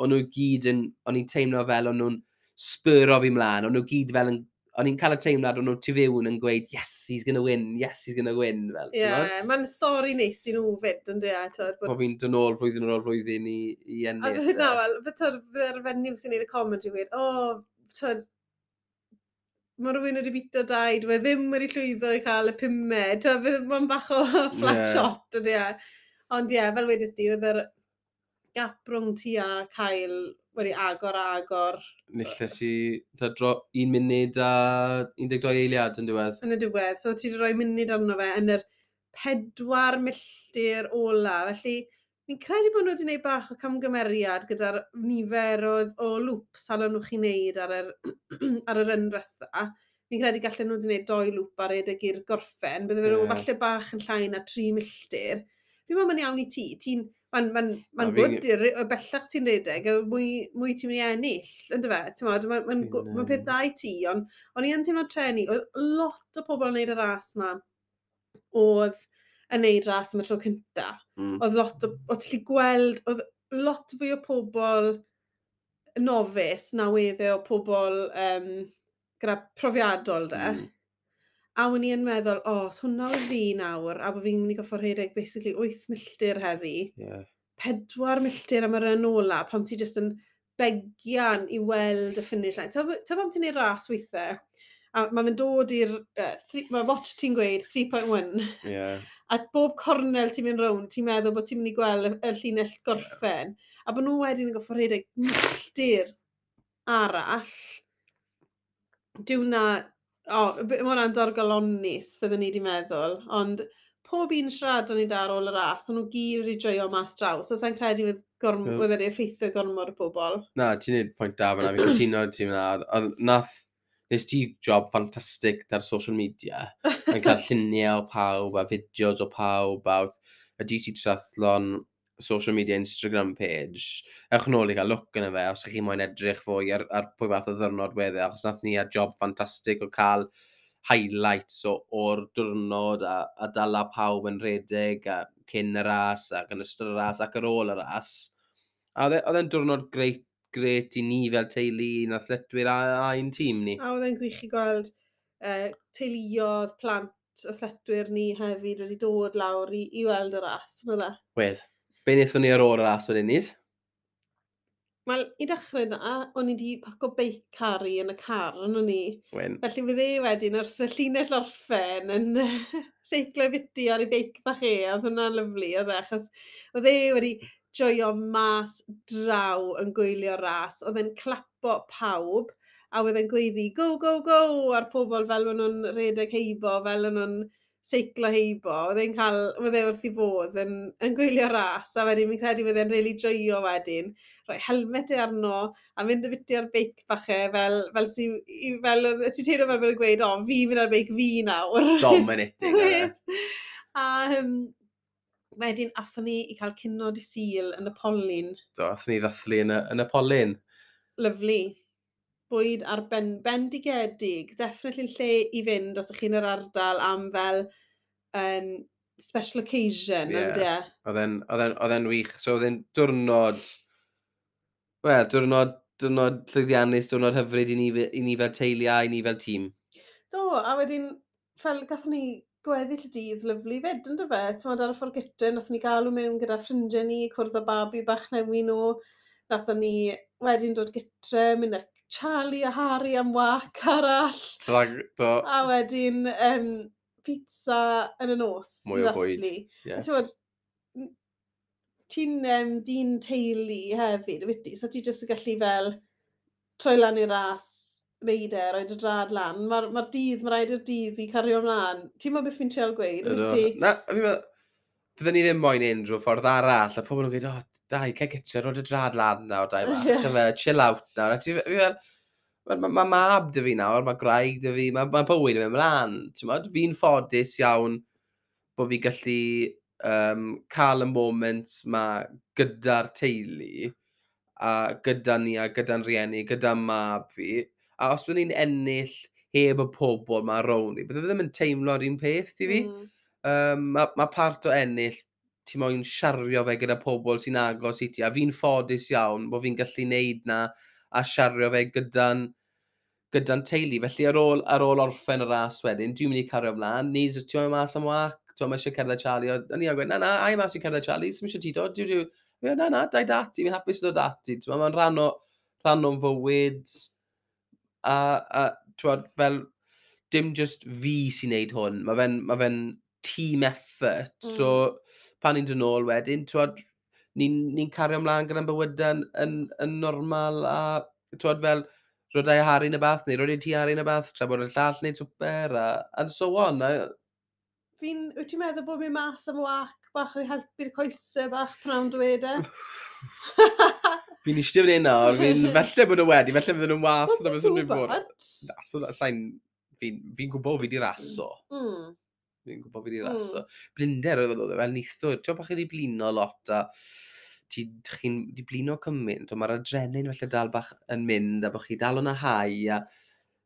o'n nhw gyd yn, o'n i'n teimlo fel o'n nhw'n spuro fi mlaen, o'n nhw gyd fel yn, o'n i'n cael y teimlad o'n nhw tu fewn yn gweud, "Yes, he's gonna win, yes, he's gonna win," fel, Ie, ti'n mod? Mae'n stori neis i nhw fyd, yn dweud, twyd, Bod fi'n dod nôl flwyddyn ar ôl flwyddyn i, i A ennill. fydd na, e. wel, fydd twyd, fydde'r fenyw sy'n neud y commentary weud, "O, twyd, mae rhywun wedi bito dau, dwi e ddim wedi llwyddo i cael y pumed," twyd, fydd mae'n bach o flat Ie. shot, ydy e. Ond ie, fel wedys di, oedd yr gap rhwng ti a Kyle wedi agor a agor. Nilles i ta dro, un munud a un deg dau eiliad yn diwedd. Yn y diwedd. So ti wedi rhoi munud arno fe yn yr pedwar milltir ola. Felly fi'n credu bod nhw wedi gwneud bach o camgymeriad gyda'r nifer o, o loops allan nhw chi wneud ar yr, ar yr run diwetha. Fi'n credu gallen nhw wedi gwneud doi loop ar redeg i'r gorffen. Bydde fe Ie. falle bach yn llai na tri milltir. Fi'n meddwl mae'n iawn i ti. Ti'n Mae'n ma ma Na, good fi'n- i'r y bellach ti'n redeg, y mwy, mwy ti'n mynd i ennill, ynddo fe? Ti'n modd, mae'n ma, Fi'n, ma peth yym, da i ti, ond o'n i yn teimlo treni, oedd lot o pobl yn neud y ras ma, oedd yn neud ras am y tro cynta. Mm. Oedd lot o, o ti'n gallu gweld, oedd lot fwy o pobl novice na wedde o pobl um, gyda profiadol de. Mm. A o'n i yn meddwl, o, os hwnna oedd fi nawr, a bod fi'n mynd i goffo rhedeg basically wyth milltir heddi, Yeah. pedwar milltir am yr run ola, pan ti jyst yn begian i weld y finish line. Ta ta pam ti'n neud ras weithiau, a mae fe'n dod i'r, uh, mae watch ti'n gweud tri pwynt un, Yeah. a bob cornel ti'n mynd rownd, ti'n meddwl bod ti'n mynd i gweld y, y llinell gorffen, a bod nhw wedyn yn goffo rhedeg milltir arall, dyw na, o, b- ma' hwnna'n dorgalonus, fyddwn ni wedi meddwl, ond pob un siaradon ni da ar ôl y ras, o'n nhw gyd wedi joio mas draw, so sa'n credu fydd gorm, Ie. fydd wedi effeithio gormod o bobl. Na, ti'n neud pwynt da fyna, fi'n cytuno ti fyna. Oedd nath, nes ti job ffantastig ar social media. Yn cael lluniau o pawb a fideos o pawb a oedd y D C Triathlon social media Instagram page. Ewch nôl i gael look yna fe, os ych chi moyn edrych fwy ar, ar pwy fath o ddwrnod wedd e, achos nath ni ar job ffantastig o cael highlights o, o'r diwrnod a, a dala pawb yn rhedeg a cyn y ras ac yn ystod y ras ac ar ôl y ras. A oedd e- oedd e'n diwrnod greit, grêt i ni fel teulu, i'n athletwyr a, a i'n tîm ni. A oedd e'n gwych i gweld uh, teuluoedd, plant, athletwyr ni hefyd wedi dod lawr i, i weld y ras. Yn e? Wedd. Be wnaethon ni ar ôl y ras wedyn ni? Wel, i dechrau na, o'n i wedi paco beic Carrie yn y car, yn o'n i. Wen. Felly fydd e wedyn wrth y llinell orffen yn seiclo biti ar ei beic bach e, a oedd hwnna'n lyfli, oedd e, achos oedd e wedi joio mas draw yn gwylio ras. Oedd e'n clapo pawb, a oedd e'n gweiddi "Go, go, go" ar pobl fel o'n nhw'n rhedeg heibo, fel o'n nhw'n seiclo heibo. Oedd e'n cael, oedd e wrth i fodd yn, yn gwylio ras, a wedyn fi'n credu fydd e'n rili joio wedyn. Rhoi helmet e arno, a mynd y biti ar beic bach e, fel, fel, si, i, fel oedd- ti'n teimlo fel bod e'n gweud, "O, fi'n mynd ar beic fi nawr." Dominating, oedd e. A um, wedyn athon ni i cael cinio dydd Sul yn y Polyn. Do, athon ni ddathlu yn y, yn y Polyn. Lyfli. Bwyd ar ben, bendigedig. Definitely lle i fynd os ych chi'n yr ardal am fel um, special occasion, Ie. yeah. Ie. Oedd e'n oedd e'n- oedd e'n wych. So oedd e'n diwrnod, wel, diwrnod, diwrnod llwyddiannus, diwrnod hyfryd i ni, fe- i ni fel teulu a i ni fel tîm. Do, a wedyn, fel gathon ni Gweddill y dydd lyfli fyd, ynddo fe? Ti'n ar y ffordd gytre, nathon ni galw mewn gyda ffrindiau ni, cwrdd â babi bach newi nhw. Nathon ni wedyn dod gytre, mynd â Charlie a Harry am wac arall. Trag, do. A wedyn um, pizza yn y nos. Mwy o bwyd. Yeah. Ti'n ti'n um, dyn teulu hefyd, wyt ti? So ti jyst yn gallu fel troi lan i'r ras, neud e, rhoi dy drad lan. Mae'r ma dydd, mae rhaid i'r dydd i cario ymlaen. Ti'n meddwl beth fi'n trial gweud, wyt ti? Na, fi'n meddwl, bydden ni ddim moyn unrhyw ffordd arall, a pobl yn gweud, o, dai, cael gytre, rhoi dy drad lan nawr, dai bach, yeah. Fe, chill out nawr. A ti, fi fel, mae ma mab dy fi nawr, mae gwraig dy fi, mae ma bywyd yn mynd mlaen. Ti'n fi'n ffodus iawn bod fi gallu um, cael y moment ma gyda'r teulu, a gyda ni, a gyda'n rieni, gyda mab fi. A os byddwn ni'n ennill heb y pobl ma rownd ni, bydde ddim yn teimlo'r un peth i fi. Mm. Um, mae ma part o ennill, ti moyn siario fe gyda pobl sy'n agos i ti, a fi'n ffodus iawn bod fi'n gallu neud na a siario fe gyda'n gyda'n teulu. Felly ar ôl, ar ôl orffen y ras wedyn, dwi'n mynd i cario ymlaen, Nis, ti'n mynd mas am wac, ti'n mynd eisiau cerdded Charlie, o'n i'n gweud, na, na, ai mas i cerdded Charlie, sy'n eisiau ti dod, dwi, dwi, na, na, dai dati, fi'n hapus i dod ati, ti'n mae'n rhan o, rhan o'n fywyd, a, a ti'n fel, dim just fi sy'n neud hwn, mae fe'n ma fe team effort, mm. So pan ni'n dod nôl wedyn, ti'n ni'n ni cario ymlaen gyda'n bywydau yn, yn, yn normal, a ti'n fel, rhodau Harry yn y bath, neu rhodau ti Harry yn y bath, tra bod y llall wneud swper, a, and so on. A... Fi'n, wyt ti'n meddwl bod mi'n mas am wac bach i helpu'r coesau bach pnawn dweud e? Fi'n eistedd fan hyn nawr, fi'n felly bod nhw wedi, felly fydden nhw'n wath. So ti'n too bad? Na, so, sa'n, fi'n fi gwybod fi di raso. Mm. Fi'n gwybod fi di raso. Mm. Blinder oedd oedd e, fel neithiwr. Ti'n bach chi di blino lot a ti, chi'n di blino cymaint, ond mae'r adrenalin felly dal bach yn mynd a bod chi dal yn y hau a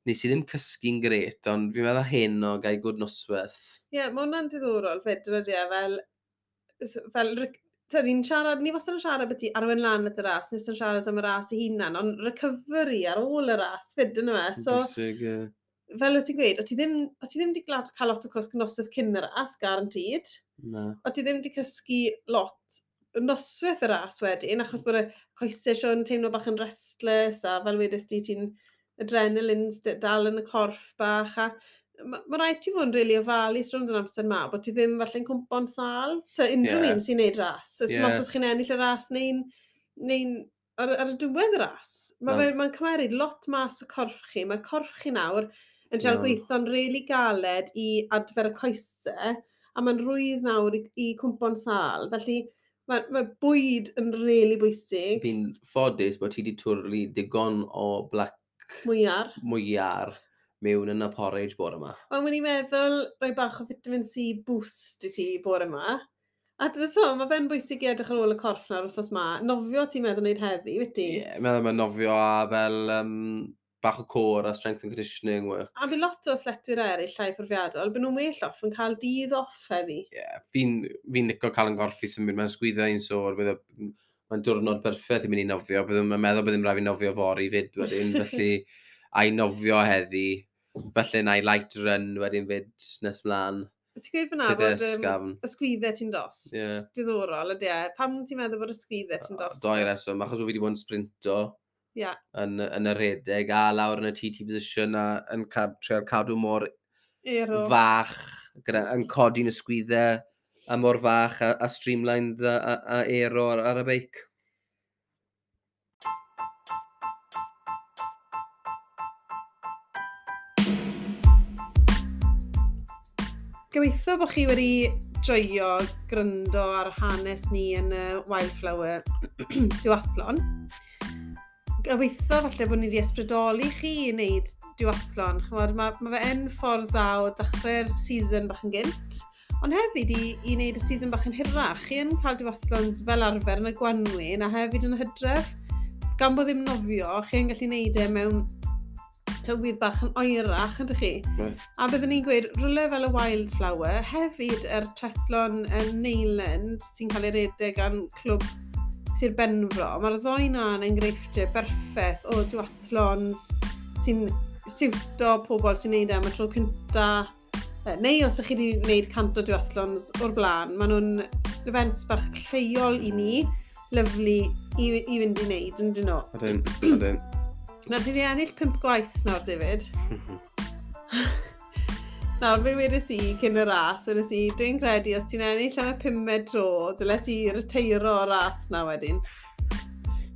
nes i ddim cysgu'n gret, ond fi'n meddwl hyn o gael gwd noswaith. Ie, yeah, mae hwnna'n diddorol fyd, ydy e, fel, fel ta, ni'n siarad, ni wastad yn siarad beth i arwen lan at y ras, ni wastad yn siarad am y ras ei hunan, ond recovery ar ôl y ras fyd, yna fe. So, bwysig, ie. Fel wyt ti'n gweud, o ti ddim, o ti ddim wedi cael lot o cwsg noswaith cyn y ras, guaranteed. Na. O ti ddim wedi cysgu lot noswaith y ras wedyn, achos bod y coesau siôn teimlo bach yn restless, a fel wedys di, ti'n adrenalin dal yn y corff bach, a mae ma rhaid ti fod yn rili really ofalus rownd yr amser ma, bod ti ddim falle'n cwmpo'n sâl. Ta unrhyw yeah. un sy'n neud ras. Os yeah. os chi'n ennill y ras neu'n neu ar, ar y diwedd y ras. Mae'n no. ma cymeryd lot mas o corff chi. Mae corff chi nawr yn trial no. gweithio'n rili galed i adfer y coesau, a mae'n rwydd nawr i, i cwmpo'n sâl. Felly mae, mae bwyd yn rili bwysig. Fi'n ffodus bod ti wedi twrlu digon o black mwyar. Mwyar mewn yn y porridge bore yma. Ond wedi'n meddwl rhoi bach o vitamin C boost i ti bore yma. A dyna to, mae fe'n bwysig i edrych ar ôl y corff nawr wythnos ma. Nofio ti'n meddwl wneud heddi, wyt ti? Ie, yeah, meddwl mae nofio a fel um, bach o core a strength and conditioning work. A fi lot o athletwyr eraill llai profiadol, byd nhw'n well off yn cael dydd off heddi. Ie, yeah, fi'n fi licio cael yn gorffi symud, mae'n sgwyddo un sôr, bydd mae'n diwrnod perffaith i mynd i nofio, bydd yn meddwl bydd yn rhaid fi nofio fory fyd wedyn, felly a i nofio heddi, felly na i light run wedyn fyd nes mlaen. Ti'n gweud fyna bod um, ysgwyddau ti'n dost? Yeah. Diddorol ydy e. Pam ti'n meddwl bod ysgwyddau ti'n dost? Doi reswm, achos fi wedi bod yn sprinto yeah. yn, yn y rhedeg a lawr yn y T T position a yn cad, trial cadw mor Aero. fach, gyda, yn codi'n ysgwyddau a mor fach a, a streamlined a, a, a aero ar, ar y beic. Gobeithio bod chi wedi joio gryndo ar hanes ni yn y Wildflower duathlon. Gobeithio falle bod ni wedi ysbrydoli chi i wneud duathlon. Chymod, mae, ma fe yn ffordd dda o dechrau'r season bach yn gynt, ond hefyd i, i wneud y season bach yn hirach. Chi yn cael duathlons fel arfer yn y gwanwyn a hefyd yn y hydref. Gan bod ddim nofio, chi yn gallu wneud e mewn tywydd bach yn oerach, ydych chi? Right. A byddwn ni'n gweud, rhywle fel y Wildflower, hefyd yr trethlon yn Neyland sy'n cael ei redeg gan clwb Sir Benfro, mae'r ddoi na'n enghreifftiau berffaith o duathlons sy'n siwto pobl sy'n neud e am y tro cynta Neu os ydych chi wedi gwneud cant o duathlons o'r blaen, maen nhw'n events bach lleol i ni, lyfli i, i fynd i wneud, yn dyn nhw. Ydyn, ydyn. Nawr, ti wedi ennill pump gwaith nawr, David. Nawr, fe wedes i cyn y ras, wedes i, dwi'n credu os ti'n ennill am y pumed tro, dyle ti reteiro o'r ras na wedyn.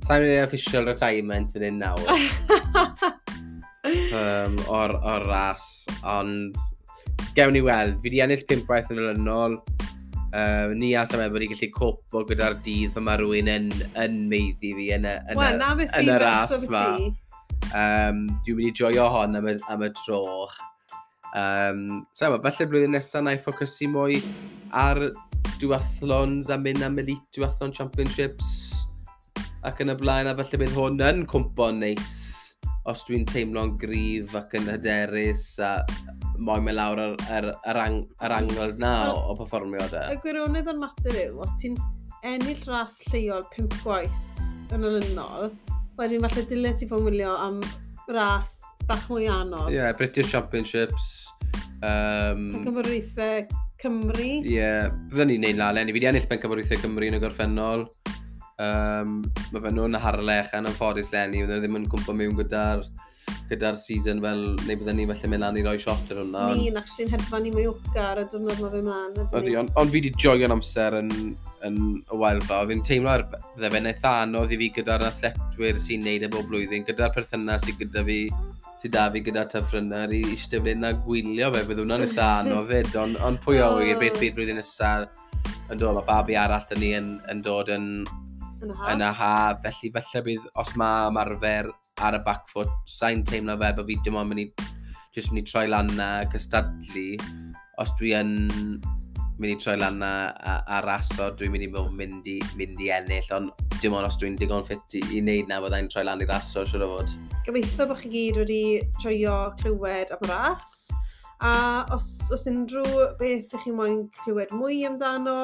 Sa'n mynd i official retirement yn un nawr um, o'r, or ras, ond gewn ni weld. Fi wedi ennill pump gwaith yn olynol. Uh, ni a Sam wedi gallu copo gyda'r dydd pan mae rhywun yn, yn meiddi fi yn y, yn Wel, y, na beth yn fi'n y ras becso ma. byti. Um, dwi'n mynd i joio hon am y, am y tro. Um, so, falle blwyddyn nesaf na i ffocysu mwy ar duathlons a mynd am Elite Duathlon Championships ac yn y blaen, a falle bydd hwn yn cwmpo'n neis os dwi'n teimlo'n gryf ac yn hyderus a moyn mynd lawr yr, yr, yr, ang, yr angel na o, o perfformio de. Y gwirionedd o'r mater yw, os ti'n ennill ras lleol pump gwaith yn olynol, wedyn falle dyle ti fod yn wylio am ras bach mwy anodd. Ie, yeah, British Championships. Um, Pencampwriaethau Cymru. Ie, yeah, byddwn ni'n neud lan eleni. Fi wedi ennill Pencampwriaethau Cymru yn y gorffennol. Um, mae fe nhw'n Harlech yn anffodus leni, fydden nhw ddim yn cwmpo mewn gyda'r gyda'r season fel, neu bydden ni falle mynd lan i roi shot ar hwnna. Ni'n actually'n hedfan i Mallorca ar y diwrnod mae fe mlaen. Ydyn Ydy, ni? ond on fi wedi joio'n amser yn, yn y Wildflower. Fi'n teimlo ar bydde fe'n eitha anodd i fi gyda'r athletwyr sy'n neud e bob blwyddyn, gyda'r perthynas sydd gyda fi, sydd da fi gyda Tough Runner i eistedd fan hyn a gwylio fe, bydd hwnna'n eitha anodd fyd, ond on pwy o wir beth fydd blwyddyn nesaf yn dod, mae babi arall dyn ni yn, yn dod yn, Yn y haf. yn y haf, felly falle bydd, os mae ymarfer ar y back foot, sa'n teimlo fel bod fi dim ond mynd i, jyst mynd i troi lan a cystadlu, os dwi yn mynd i troi lan a, a, a raso, dwi'n mynd i bod mynd i, mynd i ennill, ond dim ond os dwi'n digon ffit i, i wneud na, byddai'n troi lan i raso, siwr o fod. Gobeithio bod chi gyd wedi joio clywed am y ras. A os, os unrhyw beth ych chi moyn clywed mwy amdano,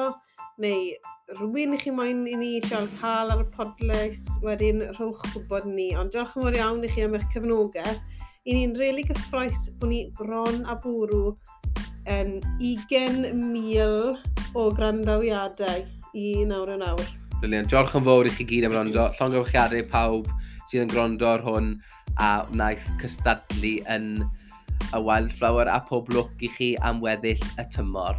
neu rhywun ych chi moyn i ni trial cael ar y podlediad, wedyn rhowch gwybod ni. Ond diolch yn fawr iawn i chi am eich cefnogaeth. I ni'n rili really gyffrous bod ni bron a bwrw um, ugain mil o grandawiadau i nawr yn awr. Brilliant. Diolch yn fawr i chi gyd am wrando. Llongyfarchiadau pawb sydd yn gwrando ar hwn a wnaeth cystadlu yn y Wildflower, a pob lwc i chi am weddill y tymor.